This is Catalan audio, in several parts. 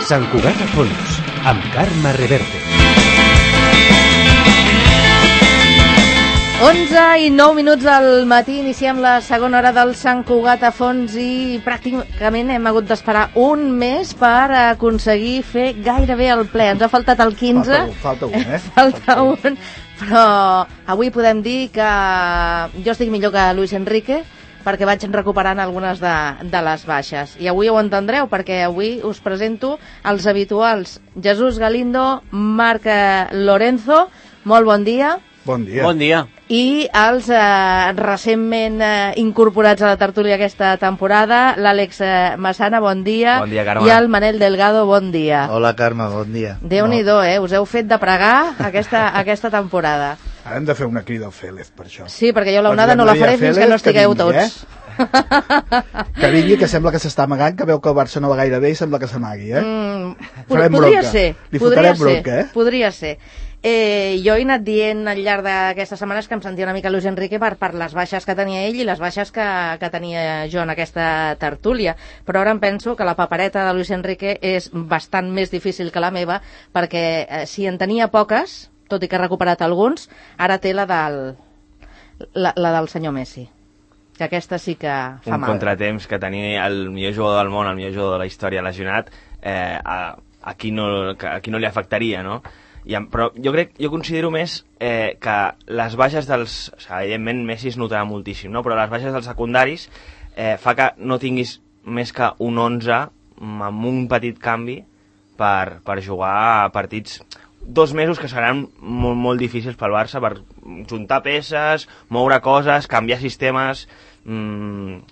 Sant Cugat a fons, amb Carme Reverte. 11:09 del matí, iniciem la segona hora del Sant Cugat a fons i pràcticament hem hagut d'esperar un mes per aconseguir fer gairebé el ple. Ens ha faltat el 15. Falta un, Falta un, però avui podem dir que jo estic millor que Luis Enrique perquè vaig recuperant algunes de les baixes. I avui ho entendreu, perquè avui us presento els habituals. Jesús Galindo, Marc Lorenzo, molt bon dia. Bon dia. Bon dia. I els recentment incorporats a la tertúlia aquesta temporada, l'Àlex Massana, bon dia. Bon dia, Carme. I el Manel Delgado, bon dia. Hola, Carme, bon dia. Déu-n'hi-do, us heu fet de pregar aquesta temporada. Ara hem de fer una crida al Félez, per això. Sí, perquè jo l'onada no la faré fins que no estigueu tots. Que vingui, que sembla que s'està amagant, que veu que el Barça no va gaire bé i sembla que s'amagui, Podria ser. Li fotrem bronca, Podria ser. Jo he anat dient al llarg d'aquestes setmanes que em sentia una mica Luis Enrique per les baixes que tenia ell i les baixes que tenia jo en aquesta tertúlia, però ara em penso que la papereta de Luis Enrique és bastant més difícil que la meva, perquè si en tenia poques, tot i que ha recuperat alguns, ara té la del senyor Messi, que aquesta sí que fa mal. Un contratemps que tenir el millor jugador del món, el millor jugador de la història lesionat, a qui no li afectaria, no? Però jo considero més que les baixes dels... O sigui, evidentment Messi es notarà moltíssim, no? Però les baixes dels secundaris fa que no tinguis més que un 11 amb un petit canvi per jugar a partits 2 mesos que seran molt, molt difícils pel Barça, per juntar peces, moure coses, canviar sistemes... 2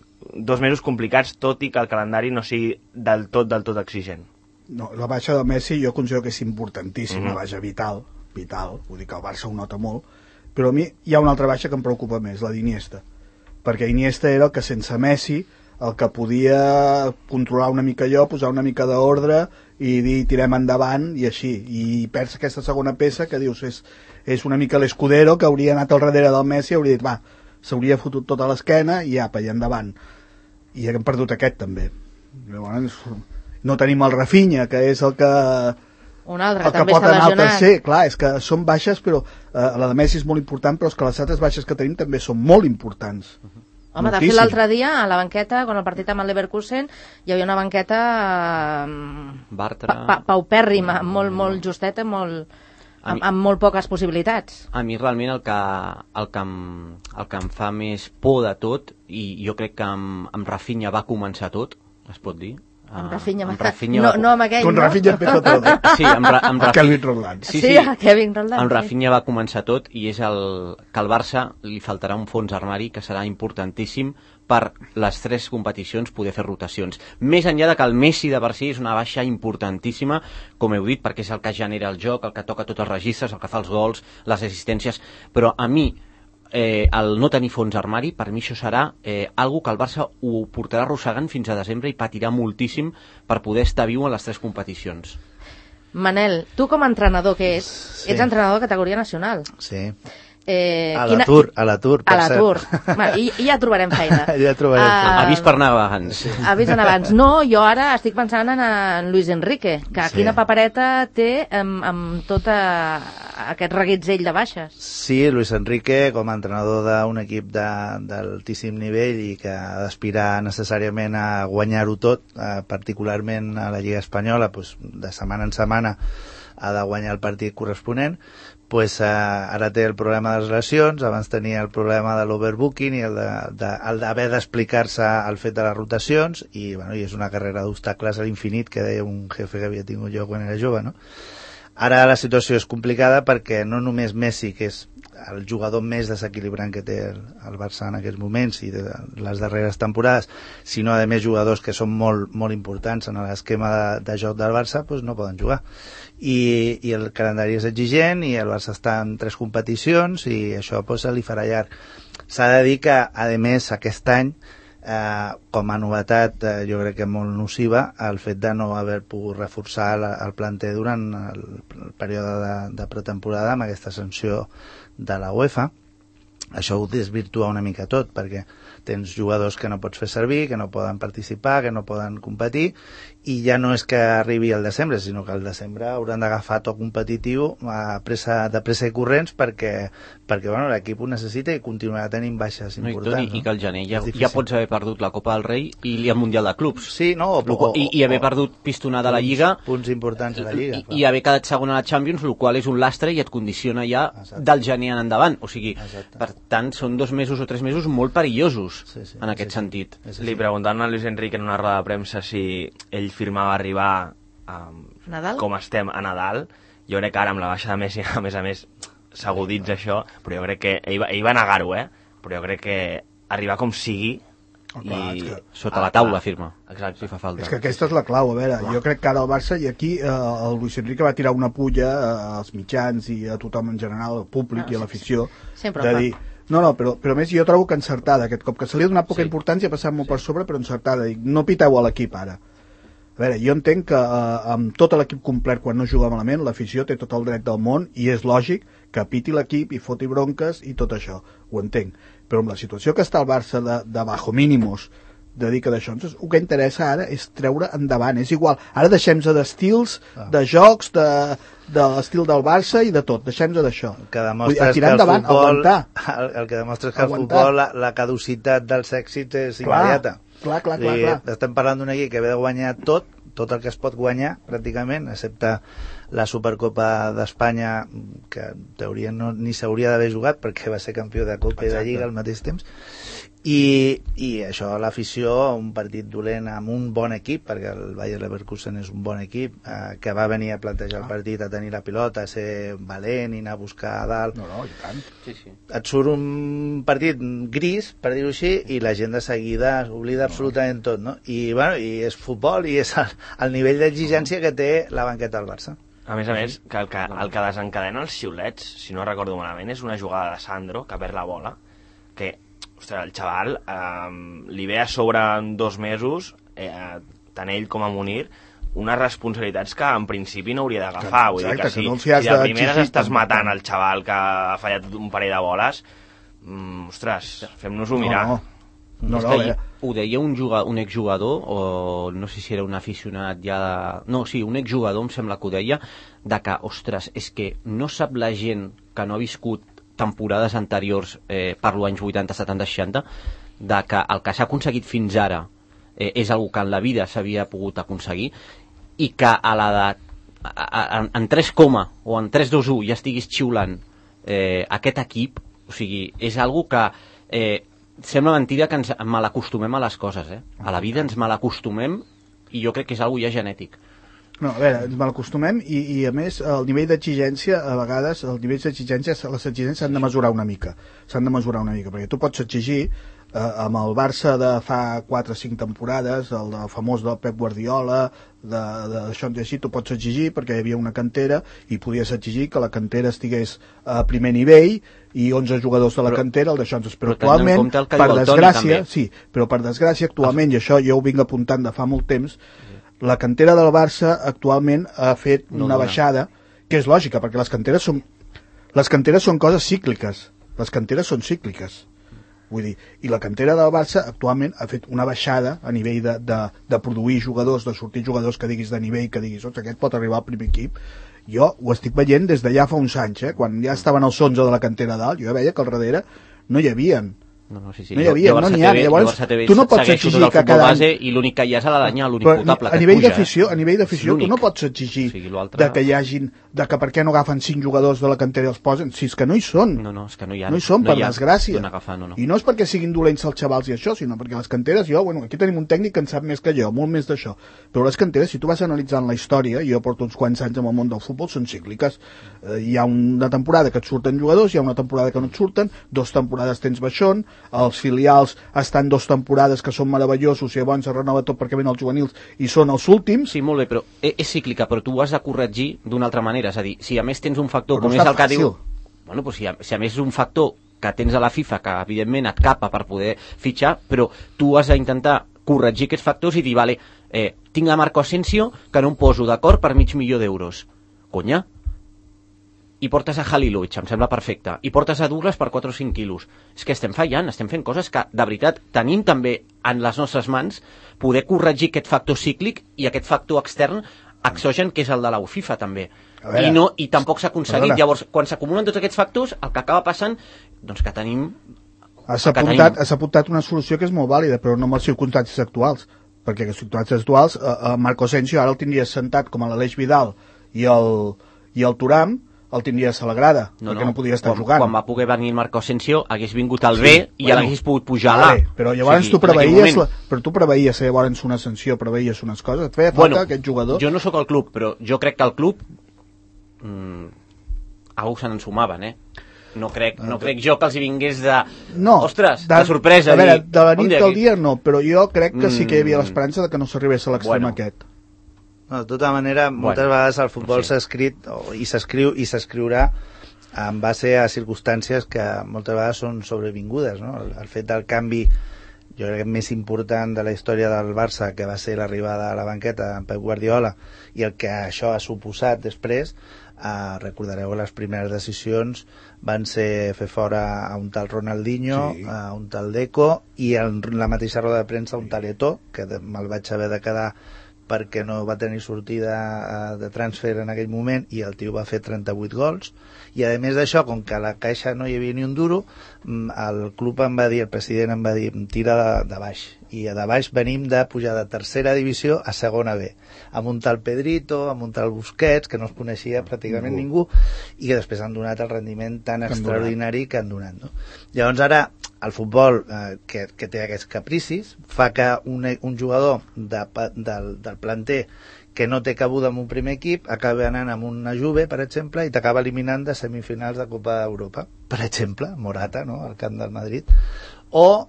mesos complicats, tot i que el calendari no sigui del tot exigent. No, la baixa de Messi jo considero que és importantíssima, una baixa vital, vull dir que el Barça ho nota molt, però a mi hi ha una altra baixa que em preocupa més, la d'Iniesta, perquè Iniesta era el que sense Messi el que podia controlar una mica allò, posar una mica d'ordre i dir tirem endavant i així, i perds aquesta segona peça que dius és una mica l'Escudero que hauria anat al darrere del Messi i hauria dit va, s'hauria fotut tota l'esquena i apa, i endavant, i hem perdut aquest també. Llavors no tenim el Rafinha, que és el que... Un altre, el que també pot està anar al lesionat. tercer. Clar, és que són baixes, però la de Messi és molt important, però és que les altres baixes que tenim també són molt importants. Home, de fet, l'altre dia, a la banqueta, quan el partit amb el Leverkusen, hi havia una banqueta paupèrrima, molt justeta, amb molt poques possibilitats. A mi realment el que em fa més por de tot, i jo crec que amb Rafinha va començar tot, es pot dir. Amb Rafinha no amb aquell, no? Rafinha empezó todo. Sí, amb Kevin Roldán. Sí, Kevin Roldán. Amb Rafinha va començar tot i és que al Barça li faltarà un fons armari que serà importantíssim per les 3 competicions poder fer rotacions. Més enllà de que el Messi de per si és una baixa importantíssima, com heu dit, perquè és el que genera el joc, el que toca tots els registres, el que fa els gols, les assistències, però a mi el no tenir fons armari, per mi això serà algo que el Barça ho portarà arrossegant fins a desembre i patirà moltíssim per poder estar viu en les 3 competicions. Manel, tu com a entrenador que ets entrenador de categoria nacional. Sí. A l'atur, per cert. I ja trobarem feina. Avís per anar abans. Avís anar abans. No, jo ara estic pensant en Luis Enrique, que quina papereta té amb tot aquest reguitzell de baixes. Sí, Luis Enrique, com a entrenador d'un equip d'altíssim nivell i que ha d'aspirar necessàriament a guanyar-ho tot, particularment a la Lliga Espanyola, de setmana en setmana ha de guanyar el partit corresponent, ara té el problema de les lesions, abans tenia el problema de l'overbooking i el d'haver d'explicar-se al fet de les rotacions i és una carrera d'obstacles a l'infinit que deia un jefe que havia tingut jo quan era jove, no? Ara la situació és complicada perquè no només Messi, que és el jugador més desequilibrant que té el Barça en aquests moments i de les darreres temporades, sinó a més jugadors que són molt, molt importants en l'esquema de joc del Barça, no poden jugar. I el calendari és exigent i el Barça està en 3 competicions i això se li farà llarg. S'ha de dir que, a més, aquest any, com a novetat, jo crec que molt nociva, el fet de no haver pogut reforçar el planter durant el període de pretemporada amb aquesta sanció de la UEFA. Això ho desvirtua una mica tot, perquè tens jugadors que no pots fer servir, que no poden participar, que no poden competir, i ja no és que arribi al desembre, sinó que al desembre hauran d'agafar tot competitiu de pressa i corrents perquè bueno, l'equip ho necessita i continuarà tenint baixes importants. I que al gener ja pots haver perdut la Copa del Rei i el Mundial de Clubs. Sí, no? I haver perdut pistonada a la Lliga. Punts importants a la Lliga. I haver quedat segon a la Champions, el qual és un lastre i et condiciona ja del gener en endavant. O sigui, per tant, són 2 mesos o 3 mesos molt perillosos en aquest sentit. Li preguntant a Luis Enrique en una roda de premsa si ell firmava arribar com estem a Nadal. Jo crec que ara amb la baixa de Messi a més s'aguditza això, però jo crec que ell va negar-ho, però jo crec que arribar com sigui sota la taula firma. Exacte. Si fa falta. És que aquesta és la clau, a veure, jo crec que ara el Barça, i aquí el Luis Enrique va tirar una pulla als mitjans i a tothom en general, al públic i a l'afició, de dir, però més jo trobo que encertada aquest cop, que se li ha donat poca importància, ha passat molt per sobre, però encertada, dic, no piteu a l'equip ara. A veure, jo entenc que amb tot l'equip complet quan no juga malament, l'afició té tot el dret del món i és lògic que piti l'equip i foti bronques i tot això, ho entenc. Però amb la situació que està el Barça de bajo mínimos, de dir que d'això, el que interessa ara és treure endavant, és igual, ara deixem-se d'estils, de jocs, de l'estil del Barça i de tot, deixem-se d'això. El que demostra és que el futbol, el que demostra és que el futbol, la caducitat dels èxits és immediata. Clar. Estem parlant d'un equip que ve de guanyar tot el que es pot guanyar, pràcticament, excepte la Supercopa d'Espanya, que en teoria ni s'hauria d'haver jugat perquè va ser campió de Copa i de Lliga al mateix temps. I això, l'afició, un partit dolent amb un bon equip, perquè el Bayer Leverkusen és un bon equip, que va venir a plantejar el partit, a tenir la pilota, a ser valent i anar a buscar a dalt. No, i tant. Sí. Et surt un partit gris, per dir-ho així, i la gent de seguida s'oblida absolutament tot, no? I és futbol i és el nivell d'exigència que té la banqueta del Barça. A més, que el que desencadena els xiulets, si no recordo malament, és una jugada de Sandro, que perd la bola, que ostres, el xaval li ve a sobre en 2 mesos, tant ell com a Munir, unes responsabilitats que en principi no hauria d'agafar. Vull dir que si de primeres estàs matant el xaval que ha fallat un parell de boles, ostres, fem-nos-ho mirar. Ho deia un exjugador, o no sé si era un aficionat ja un exjugador em sembla que ho deia, de que, ostres, és que no sap la gent que no ha viscut temporades anteriors, parlo anys 80, 70, 60, de que el que s'ha aconseguit fins ara és algo que en la vida s'havia pogut aconseguir, i que a l'edat en 3, o en 3, 2, 1 ja estiguis xiulant aquest equip, o sigui, és algo que sembla mentida que ens malacostumem a les coses, a la vida ens malacostumem, i jo crec que és algo ja genètic. No, a veure, ens malacostumem i a més el nivell d'exigència, a vegades els nivells d'exigència, les exigències s'han de mesurar una mica, perquè tu pots exigir amb el Barça de fa 4 o 5 temporades, el famós del Pep Guardiola, d'això així, tu pots exigir perquè hi havia una cantera i podies exigir que la cantera estigués a primer nivell i 11 jugadors de la cantera, el d'això, però actualment, per desgràcia, per desgràcia, actualment, i això jo ho vinc apuntant de fa molt temps, la cantera del Barça actualment ha fet una baixada, que és lògica, perquè les canteres són coses cícliques, vull dir, i la cantera del Barça actualment ha fet una baixada a nivell de produir jugadors, de sortir jugadors que diguis de nivell, que diguis, aquest pot arribar al primer equip. Jo ho estic veient des de ja fa uns anys, quan ja estaven els 11 de la cantera dalt, jo veia que al darrere no hi havien. No hi havia, no n'hi ha. Llavors, tu no pots exigir que cada any... I l'únic que hi ha és a l'Aranyà, l'únic potable que puja. A nivell d'afició, tu no pots exigir que hi hagin, que per què no agafen 5 jugadors de la cantera i els posen, si és que no hi són. No, és que no hi ha. No hi són, per desgràcia. I no és perquè siguin dolents els xavals i això, sinó perquè les canteres, aquí tenim un tècnic que en sap més que jo, molt més d'això. Però les canteres, si tu vas analitzant la història, jo porto uns quants anys en el món del futbol, són cícliques. Hi ha una temporada que et surten jugadors, hi ha una temporada que no et surten, 2 temporades tens baixón, els filials estan 2 temporades que són meravellosos i llavors es renova tot perquè venen els juvenils i són els últims. Sí, molt bé, però és cíclica, però tu ho has de corregir d'una altra manera, és a dir, si a més tens un factor com és el que diu... Bueno, doncs si a més és un factor que tens a la FIFA que evidentment et capa per poder fitxar, però tu has d'intentar corregir aquests factors i dir, vale, tinc a Marco Asensio que no em poso d'acord per $500,000. Conya, i portes a Halilovic, em sembla perfecte, i portes a Douglas per 4 o 5 quilos. És que estem fallant, estem fent coses que, de veritat, tenim també en les nostres mans poder corregir aquest factor cíclic i aquest factor extern exogen, que és el de la UFIFA, també. I tampoc s'ha aconseguit. Llavors, quan s'acumulen tots aquests factors, el que acaba passant, doncs que tenim... Has apuntat una solució que és molt vàlida, però no amb les circumstàncies actuals, perquè les circumstàncies actuals, Marco Asensio ara el tindries sentat com a l'Aleix Vidal i el Thuram, el tindries a la grada, perquè no podia estar jugant. Quan va poder venir el Marco Asensio, hagués vingut al B i l'hagués pogut pujar a l'A. Però llavors tu preveies llavors una sanció, preveies unes coses, et feia falta aquest jugador. Jo no sóc al club, però jo crec que el club algú se n'ensumaven, No crec jo que els hi vingués de... Ostres, de sorpresa. A veure, de la nit del dia no, però jo crec que sí que hi havia l'esperança de que no s'arribés a l'extrem aquest. No, de tota manera, moltes vegades el futbol s'ha escrit i s'escriurà en base a circumstàncies que moltes vegades són sobrevingudes, no? El fet del canvi, jo crec, més important de la història del Barça, que va ser l'arribada a la banqueta de Pep Guardiola, i el que això ha suposat després, recordareu que les primeres decisions van ser fer fora a un tal Ronaldinho, a un tal Deco, i en la mateixa roda de premsa un tal Eto'o, que me'l vaig haver de quedar perquè no va tenir sortida de transfer en aquell moment, i el tio va fer 38 gols, i a més d'això, com que a la caixa no hi havia ni un duro, el club em va dir, el president em va dir, tira de baix, i de baix venim de pujar de tercera divisió a segona B, amb un tal Pedrito, amb un tal Busquets, que no es coneixia pràcticament ningú, i que després han donat el rendiment tan extraordinari que han donat, no? Llavors ara el futbol, que té aquests capricis, fa que un jugador del planter que no té cabuda en un primer equip acabi anant amb una Juve, per exemple, i t'acaba eliminant de semifinals de Copa d'Europa, per exemple, Morata, no?, al camp del Madrid, o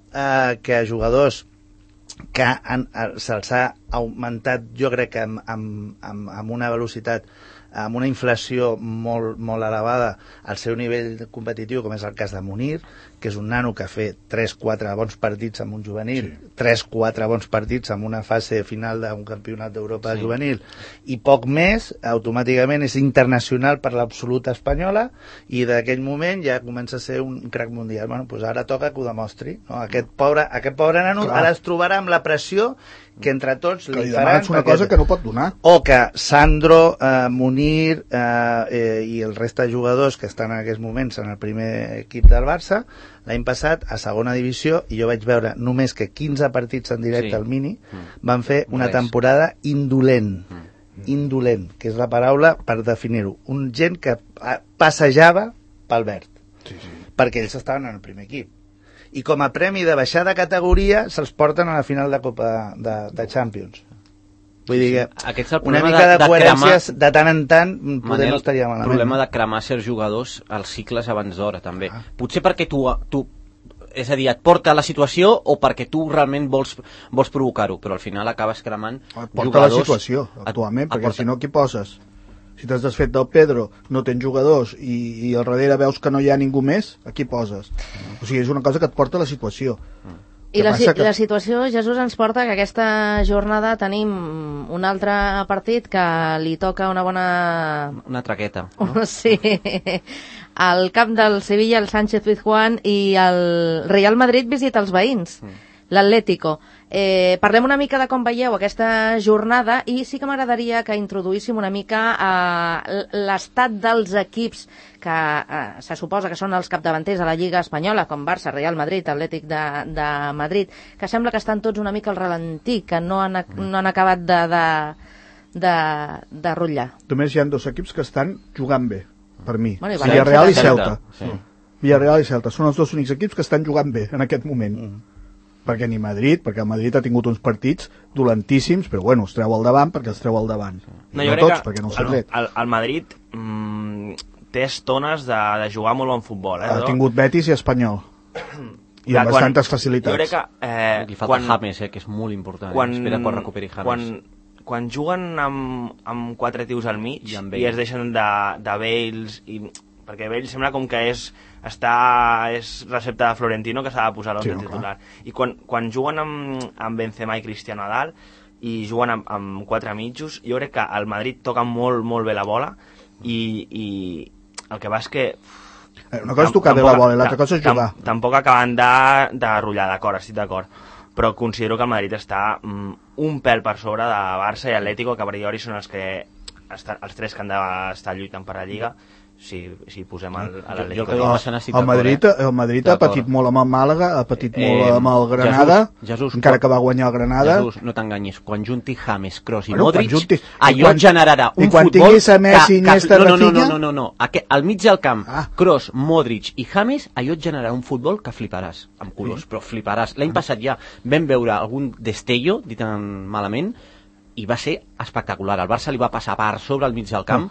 que jugadors que se'ls ha augmentat, jo crec que amb una velocitat, amb una inflació molt, molt elevada al seu nivell competitiu, com és el cas de Munir, que és un nano que ha fet 3-4 bons partits amb un juvenil, 3-4 bons partits amb una fase final d'un campionat d'Europa juvenil, i poc més, automàticament és internacional per l'absoluta espanyola, i d'aquell moment ja comença a ser un crac mundial. Bueno, doncs ara toca que ho demostri, no? Aquest pobre nano ara es trobarà amb la pressió que entre tots li faran una cosa que no pot donar, o que Sandro, Munir i el resta de jugadors que estan en aquests moments en el primer equip del Barça, l'any passat a segona divisió, i jo vaig veure només que 15 partits en directe al Mini, van fer una temporada indolent, que és la paraula per definir-ho, un gent que passejava pel verd, perquè ells estaven en el primer equip, i com a premi de baixar de categoria se'ls porten a la final de Copa de Champions. Vull dir que una mica de coherències de tant en tant poder no estaria malament. El problema de cremar certs jugadors als cicles abans d'hora, també. Potser perquè tu, és a dir, et porta a la situació o perquè tu realment vols provocar-ho, però al final acabes cremant jugadors... Porta la situació, actualment, perquè si no, qui poses? Si t'has desfet del Pedro, no tens jugadors i al darrere veus que no hi ha ningú més, a qui poses? O sigui, és una cosa que et porta a la situació. I la situació, Jesús, ens porta que aquesta jornada tenim un altre partit que li toca una bona... Una traqueta, no? Sí. Al camp del Sevilla, el Sánchez Pizjuán, i el Real Madrid visita els veïns, l'Atlético. Parlem una mica de com veieu aquesta jornada, i sí que m'agradaria que introduíssim una mica l'estat dels equips que se suposa que són els capdavanters a la Lliga Espanyola, com Barça, Real Madrid, Atlètic de Madrid, que sembla que estan tots una mica al ralentí, que no han acabat de rotllar. Només hi ha dos equips que estan jugant bé, per mi, Villarreal i Celta. Villarreal i Celta són els dos únics equips que estan jugant bé en aquest moment. Perquè ni Madrid, perquè el Madrid ha tingut uns partits dolentíssims, però bueno, els treu al davant perquè els treu al davant. No tots, perquè no s'ha tret. El Madrid té estones de jugar molt bon futbol. Ha tingut Betis i Espanyol. I amb bastantes facilitats. Jo crec que... Li falta James, que és molt important. Espera quan recuperi James. Quan juguen amb 4 tios al mig i es deixen de Bales, perquè Bale sembla com que és recepte de Florentino, que s'ha de posar l'11 titular. I quan juguen amb Benzema i Cristiano a dalt i juguen amb 4 mitjos, jo crec que el Madrid toca molt, molt bé la bola i el que va és que... Una cosa és tocar bé la bola, l'altra cosa és jugar. Tampoc acaben de rotllar, d'acord, estic d'acord. Però considero que el Madrid està un pèl per sobre de Barça i Atlético, que a priori són els tres que han d'estar lluitant per la Lliga, si posem l'Atlético. El Madrid ha patit molt amb el Màlaga, ha patit molt amb el Granada, encara que va guanyar el Granada. Jesús, no t'enganyis, quan junti James, Kroos i Modric, allò generarà un futbol... I quan tinguis a Messi, Iniesta, Rafinha... No. Al mig del camp, Kroos, Modric i James, allò et generarà un futbol que fliparàs, amb colors, però fliparàs. L'any passat ja vam veure algun destello, dit malament, i va ser espectacular. El Barça li va passar per sobre al mig del camp,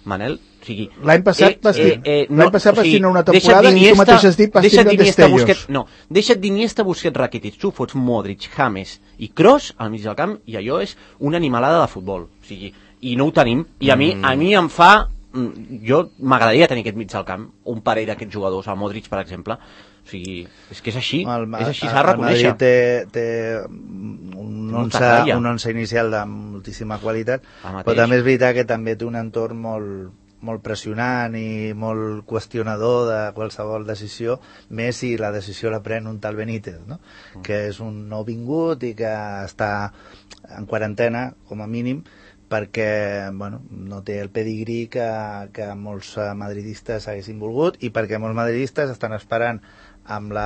Manel, o sigui... L'any passat vas tindre una temporada i tu mateix has dit vas tindre destellos. Deixa't d'Iniesta, Busquets, Rakitic. Tu fots Modric, James i Kroos al mig del camp i allò és una animalada de futbol. O sigui, i no ho tenim. I a mi em fa... Jo m'agradaria tenir aquest mig del camp, un parell d'aquests jugadors, el Modric, per exemple. O sigui, és que és així, s'ha de reconèixer. El Madrid té un once inicial de moltíssima qualitat, però també és veritat que també té un entorn molt pressionant i molt qüestionador de qualsevol decisió, més si la decisió la pren un tal Benítez, no? Que és un nouvingut i que està en quarantena, com a mínim, perquè no té el pedigrí que molts madridistes haguessin volgut i perquè molts madridistes estan esperant amb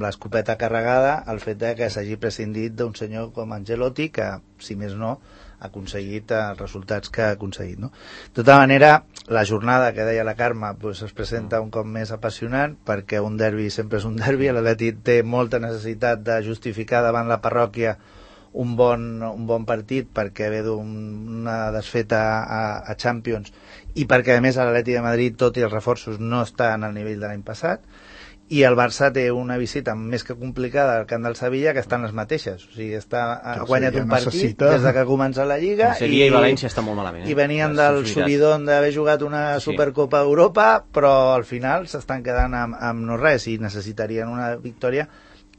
l'escopeta carregada el fet que s'hagi prescindit d'un senyor com Ancelotti que, si més no, ha aconseguit els resultats que ha aconseguit, no? De tota manera, la jornada que deia la Carme es presenta un cop més apassionant perquè un derbi sempre és un derbi. L'Atleti té molta necessitat de justificar davant la parròquia un bon partit perquè ve d'una desfeta a Champions i perquè a més l'Atleti de Madrid, tot i els reforços, no està en el nivell de l'any passat, i el Barça té una visita més que complicada al camp del Sevilla, que estan les mateixes, o sigui, ha guanyat un partit des de que comença la Lliga, Sevilla i València està molt malament, i venien del subidón d'haver jugat una Supercopa d'Europa, però al final s'estan quedant amb no res i necessitarien una victòria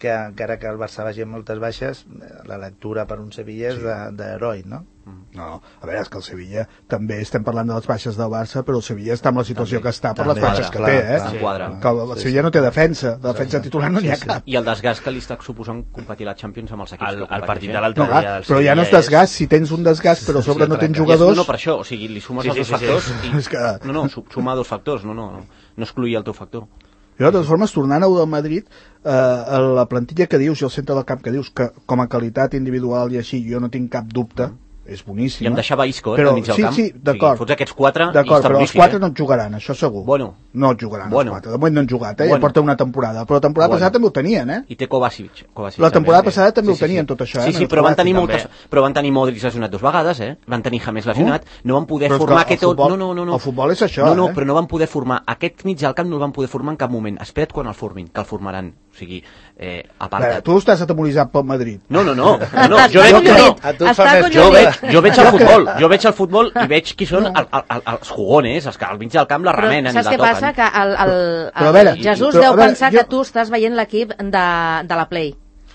que encara que el Barça vagi amb moltes baixes, la lectura per un Sevilla és d'heroi, no? No, a veure, és que el Sevilla també estem parlant de les baixes del Barça, però el Sevilla està en la situació que està per les baixes que té, que el Sevilla no té defensa titular no n'hi ha cap. I el desgast que li està suposant competir la Champions amb els equips que el partit de l'altre dia però ja no és desgast, si tens un desgast però a sobre no tens jugadors... No, per això, o sigui, li sumes els dos factors no, suma dos factors, no excluir el teu factor. Jo, de totes formes, tornant a del Madrid, la plantilla que dius i el centre del camp que dius, que com a qualitat individual i així jo no tinc cap dubte, és boníssima. I em deixava Isco, al mig del camp. Sí, d'acord. Fots aquests quatre i d'acord, està però boníssim. Els quatre no et jugaran, això segur. No et jugaran els quatre. De moment no han jugat, ja porta una temporada. Però la temporada passada també ho tenien, I té Kovacic. La temporada passada també ho tenien, tot això, Sí, però van tenir moltes... Però van tenir Modric lesionat 2 vegades, Van tenir James lesionat. No van poder formar aquest... No. El futbol és això, No, però no van poder formar... Aquest mig del camp no el van poder formar en cap moment. Espera't quan el formin, que el formaran. O sigui, aparta't. Tu estàs atemoritzat pel Madrid. No. Jo veig el futbol i veig qui són els jugones, els que al mig del camp la remenen i la toquen. Saps què passa? Que el Jesús deu pensar que tu estàs veient l'equip de la Play.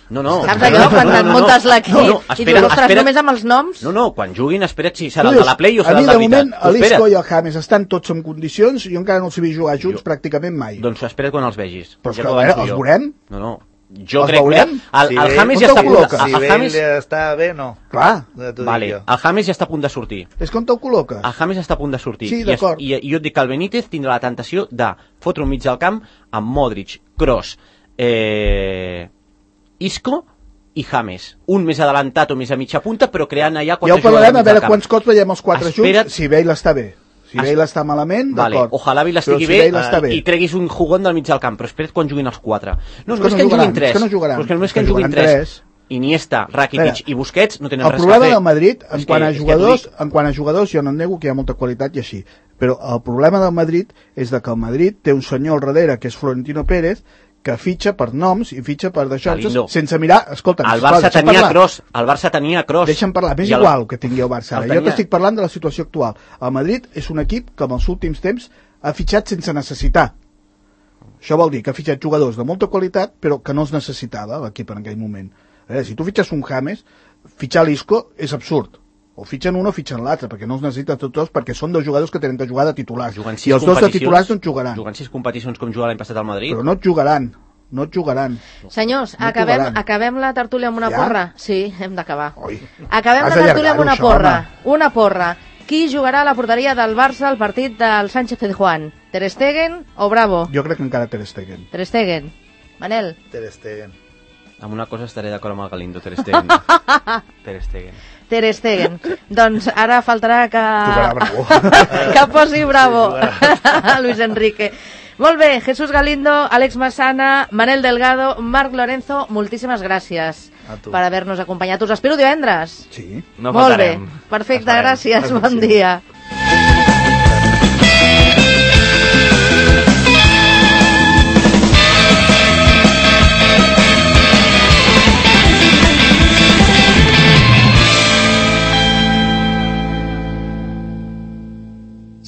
No. Saps allò? Quan et muntes l'equip i dius, ostres, només amb els noms... No, quan juguin, espera't si serà el de la Play o serà el de veritat. A mi, de moment, l'Isco i el James estan tots en condicions i jo encara no els he vist jugar junts pràcticament mai. Doncs espera't quan els vegis. Però és que, a veure, els veurem? No. Jo crec que el James ja està a punt si James està bé, no. Clar. Vale, el James ja està a punt de sortir. És com te'l col·loques. El James està a punt de sortir. Sí, d'acord. I jo et dic que el Benítez tindrà la tentació de fotre un mig del camp amb Modric, Kroos, Isco i James. Un més adelantat o més a mitja punta, però creant allà quatre jugadors. Ja ho parlarem, a veure quants cops veiem els quatre junts, si Bale està bé. Si Bale està malament, d'acord. Ojalà Bale estigui bé i treguis un jugón del mig del camp, però espera't quan juguin els quatre. No és que en juguin tres. És que només que en juguin tres. Iniesta, Rakitic i Busquets no tenen res a fer. El problema del Madrid, en quant a jugadors, jo no nego que hi ha molta qualitat i així, però el problema del Madrid és que el Madrid té un senyor al darrere, que és Florentino Pérez, que fitxa per noms i fitxa per d'això, sense mirar... Escolta, el Barça tenia Kroos. Deixa'm parlar, m'és igual que tingui el Barça. Jo t'estic parlant de la situació actual. El Madrid és un equip que en els últims temps ha fitxat sense necessitar. Això vol dir que ha fitxat jugadors de molta qualitat, però que no els necessitava l'equip en aquell moment. Si tu fitxes un James, fitxar l'Isco és absurd. O fitxen un o fitxen l'altre, perquè no els necessiten tots, perquè són 2 jugadors que tenen de jugar de titulars. Juguen I els 2 de titulars no et jugaran. Juguen 6 competicions com jugava l'any passat al Madrid. Però no et jugaran. No et jugaran. Senyors, No acabem la tertúlia amb una Ja? porra. Sí, hem d'acabar. Oi. Acabem Has la tertúlia amb una d'allargar-ho, porra. això, Una porra. Qui jugarà a la porteria del Barça al partit del Sánchez-Pizjuán? Ter Stegen o Bravo? Jo crec que encara Ter Stegen. Ter Stegen. Manel? Ter Stegen. Amb una cosa estaré d'acord amb el Galindo, Ter Stegen. Ter Stegen. Ter Stegen. Doncs ara faltarà que... Tocarà Bravo. que posi Bravo. Luis Enrique. Molt bé, Jesús Galindo, Àlex Massana, Manel Delgado, Marc Lorenzo, moltíssimes gràcies A tu. per haver-nos acompanyat. Us espero divendres. Sí. No Molt bé, faltarem. perfecte, Esperem. gràcies, bon dia.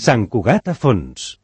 Sant Cugat a fons.